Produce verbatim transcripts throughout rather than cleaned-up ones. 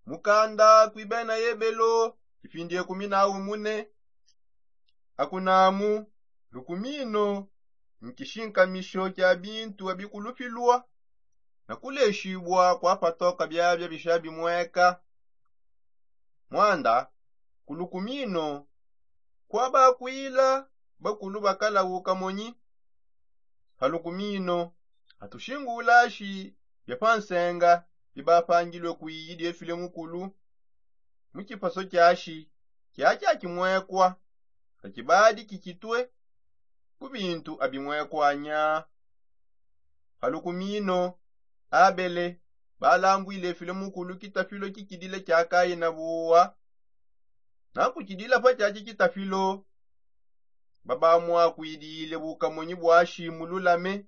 Mukanda kui bena ebelo, kipindi ekumi na umune. Akunamu, lukumino nkishinkamisho kia bintu abikulupilua na kuleshibua kwa patoka biabia bisha bimweka. Mwanda, ku lukumino kwa bakwila bakulu bakala ukamonyi. Pa lukumino atushingulashi bia pa nsenga bibapangilue kuiyi diefile mukulu mu kipaso kiashi kiakia kimwekwa kakibadi kikitue ku bintu abimwekwanya. Pa lukumino abele balambwile efile mukulu kitafilo kikidila kia kaina buwa. Na kukidila pa kiaki kitafilo babamwakwidile bukamonyi bwa shimululame.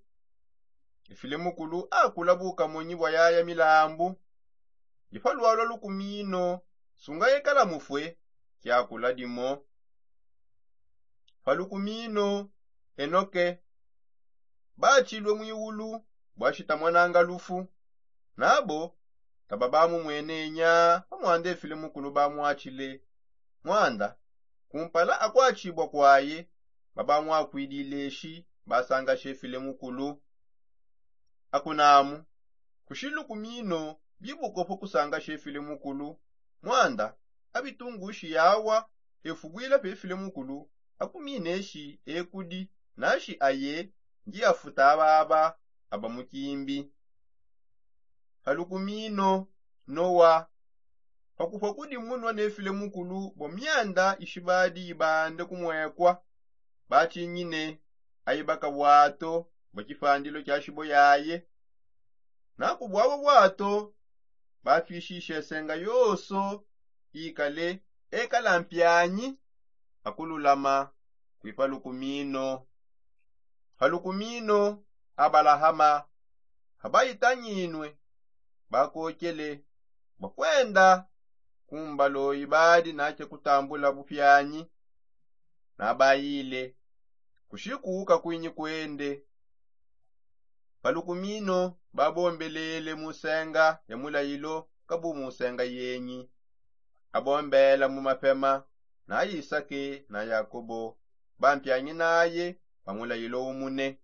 Efile mukulu akula bukamonyi bwa yaya milambu. Ndi pa lwalwa lukumino sunga ekala mufue kiakula dimo. Pa lukumino enoke batshilue mwiwulu bwashitamonanga lufu. Nabo taba bamumwenenya pa mwanda efile mukulu bamwatshile. Mwanda kumpala akwatshibua kwaye babamwakwidile eshi basanga shefile mukulu. Akunamu kushiluku mino bibukopo kusanga shefile mukulu. Mwanda abitungushi yawa efubwila pefile mukulu akumine eshi ekudi nashi aye ndi afuta ababa aba mukimbi. Halukumino nowa pakupwa kudi munwa nefile mukulu bwa myanda ishibadi ibande kumwekwa. Batshinyine aibaka bwato bwa kipandilo kia shibo yaye. Naku bwabo bwato bapwishishe senga yoso ikale ekala mpianyi akululama kwipa lukumino. Palukumino abalahama abaitanyinwe bakokele bakwenda kumbalo ibadi nache kutambula bupianyi. Nabayile kushiku kakwinyi kwende. Palukumino babombelele musenga ya mulayilo kabu musenga yenyi. Abombela mu mapema na isake na yakobo bampianyi naye pa mulayilo umune.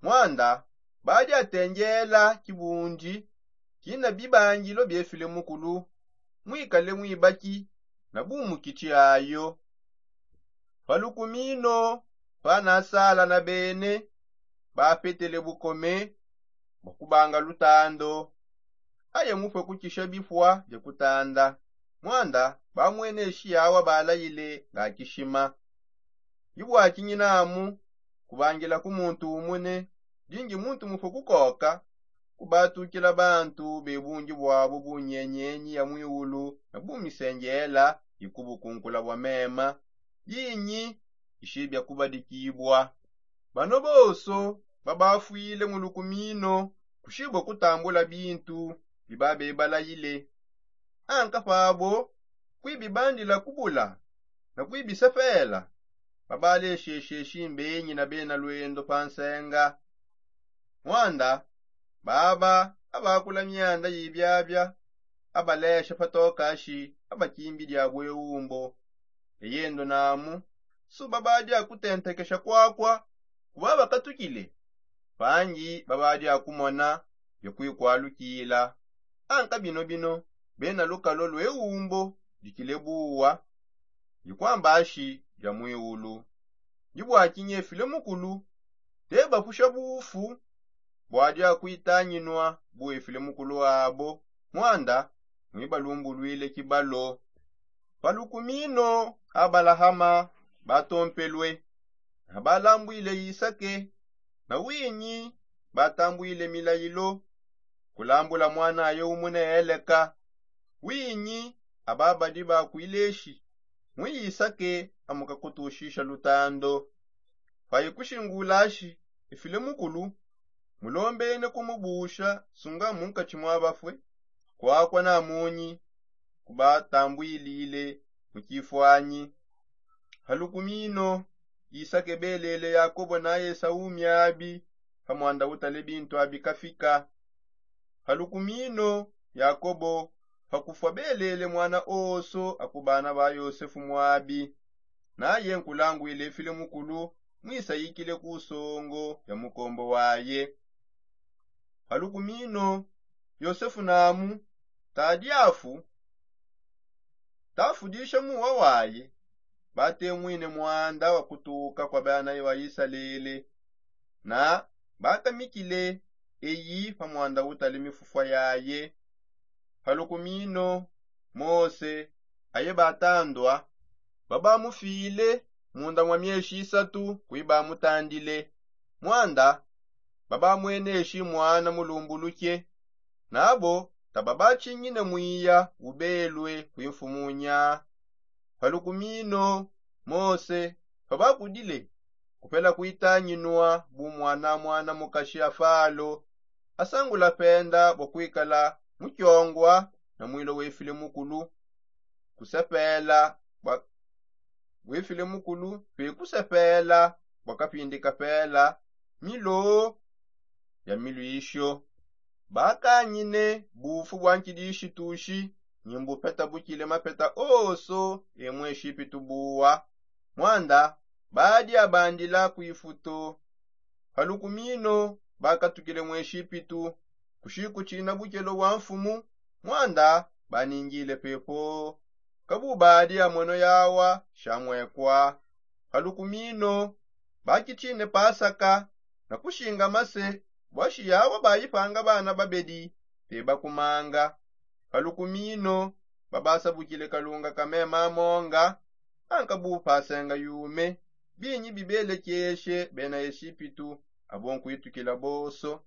Mwanda badi atengela kibundi kina bibangilo biefile mukulu mwikale mwibaki na bumukitshi ayo. Palukumino panasala na bene bapetele bukome bwa kubanga lutando. Aye mupwe kukisha bipwa bia kutanda. Mwanda bamwene shiyawa balayile nga kishima. Ibwakinyinamu kubangila ku muntu umune dingi muntu mupwe kukoka kubatukila bantu bebungi bwabo bunyenyenyi ya mwiulu na bumisengela ikubukunkula bwa mema yinyi ishibia kubadikibwa. Bano bonso babafwile mu lukumino kushibua kutambula bintu bibabebalayile. Anka pabo kuibibandila kubula na kuibisepela babaleshesheshi mbenyi na bena lwendo pa nsenga. Mwanda baba abakula myanda yibiabia abalesha patokashi abakimbi dia bweumbo. Eyendo namu suba badi akutentekesha kwakwa kuba bakatukile pangi babadi akumona bia kuikwalukila. Anka bino bino bena lukalo lweumbo dikile buwa. Ndikwambashi bia mwiulu ndibwakinyefile mukulu tebapusha bufu bwadi akuitanyinwa buefile mukulu abo. Mwanda mwibalumbulwile kibalo. Palukumino abalahama batompelwe na balambwile isake na winyi batambwile milayilo kulambula mwanaye umune eleka. Winyi ababadi bakwileshi mu isake amukakutushisha lutando. Paye kushingulashi efile mukulu mulombene kumubusha sunga munkatshi mwa bafue kwakwa na munyi kubatambwilile mu kifwanyi. Palukumino isake belele yakobo na esau miabi pa mwanda utale bintu abi kafika. Palukumino yakobo Pakufua belele mwana oso aku bana ba yosefu muabi, naye nkulangwile file mukulu, mwisayikile ku songo ya mukombo waye. Palukumino yosefu namu tadiafu tafudisha muwa waye, batemwine mwanda wa kutuka kwa bana ba isalele, na bakamikile eyi pa mwanda utali mifufwa yaye. Palukumino mose aye batandua, babamufile munda mwa mieshi isatu kui bamutandile. Mwanda babamweneshi mwana mulumbuluke, nabo tababachingine mwiya ubelwe kuimfumunya. Palukumino mose pabakudile kupela kuitanginua bu mwana mwana mukashi a falo, asangula penda bua kuikala mukiongua na mwilo wefile mukulu kusepela bua wefile mukulu pe kusepela bua kapindi kapela milo ya milwisho. Bakangine bufu bua nkidishitushi, ni mbupeta bukile mapeta oso e mu eshipitu buwa. Mwanda badi abandila ku ifuto. Palukumino bakatukile mu eshipitu kushikutshina bukelo bua mfumu, mwanda baningile pepo. Kabu badi amono yawa shamuekwa. Palukumino bakitshine pasaka na kushingama se bua shiyawa bayipanga bana babedi pe bakumanga. Palukumino babasabukile kalunga ka mema amonga, anka bu pasenga yume, binyi bibelekeshe bena eshipitu abo nkuitukila boso.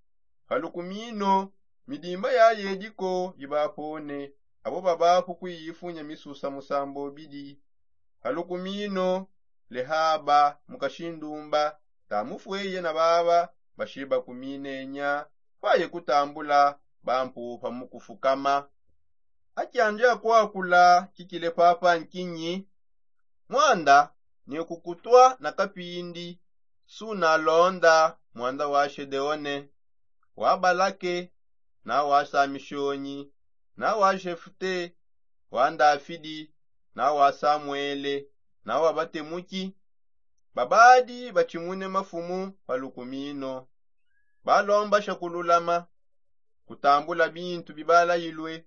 Palukumino midimba ya yediko ibapone, abo babapu kuiyifunya misusa musambo bidi. Palukumino lehaba mukashindumba tamufweye na baba bashiba kuminenya, paye kutambula bampupa mukufukama. Akiandi akuakula kikile papa nkinyi? Mwanda ne kukutua na kapindi sunalonda mwanda wa shedeone, wa balake, na wa samishonyi, na wa jefute, wa ndafidi, na wa samuele, na wa batemuki. Babadi batshimune mafumu palukumino. Balombasha kululama, kutambula bintu bibalayilue,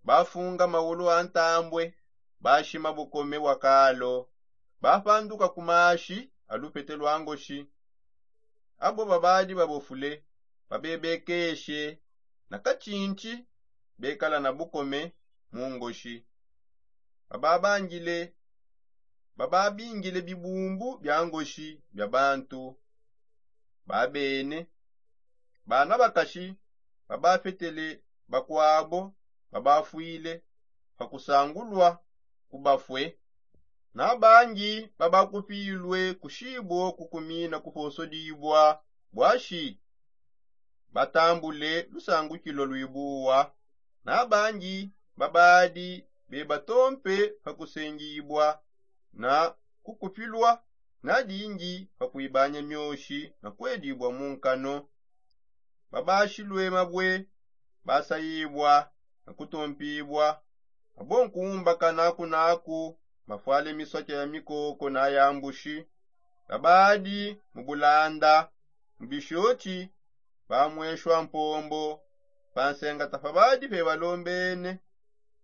bafunga maulu a ntambue, bashima bukome bua kalo, bapanduka ku mashi a lupete lua ngoshi. Abo babadi babofule, babebekeshe na katshintshi, bekala na bukome mu ngoshi. Bababangile bababingile bibumbu bia ngoshi bia bantu babene. Bana bakashi babapetele bakuabo babafwile pa kusangulua ku bafue, na bangi babakupilue kushibo kukumina kuposodibua buashi batambule lusangukilo luibuwa, na bangi babadi bebatompe pa kusengibua na kukupilua, na dingi pa kuibanya mioshi na kuedibua mu nkano. Babashilue mabue basayibua na kutompibua, abo nkumbakana kunaku mafwale misoke ya mikoko na ya mbushi. Babadi mu bulanda mu bishotshi, bamueshua mpombo pa nsenga tapabadi pebalombene.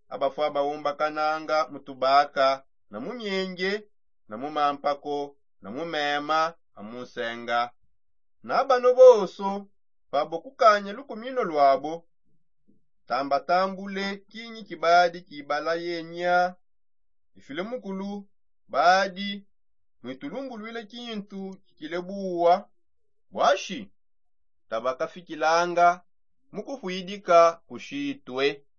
Abafua baumbakananga mu tubaka na mu mienge na mu mampako na mu mema a mu nsenga. Na bano bonso pabo kukanya lukumino luabo, tambatambule kinyi kibadi kibala yenya ifile mukulu, badi muitulumbuluile kintu kikile buwa, buashi tabakafikilanga mu kupuidika kushitue.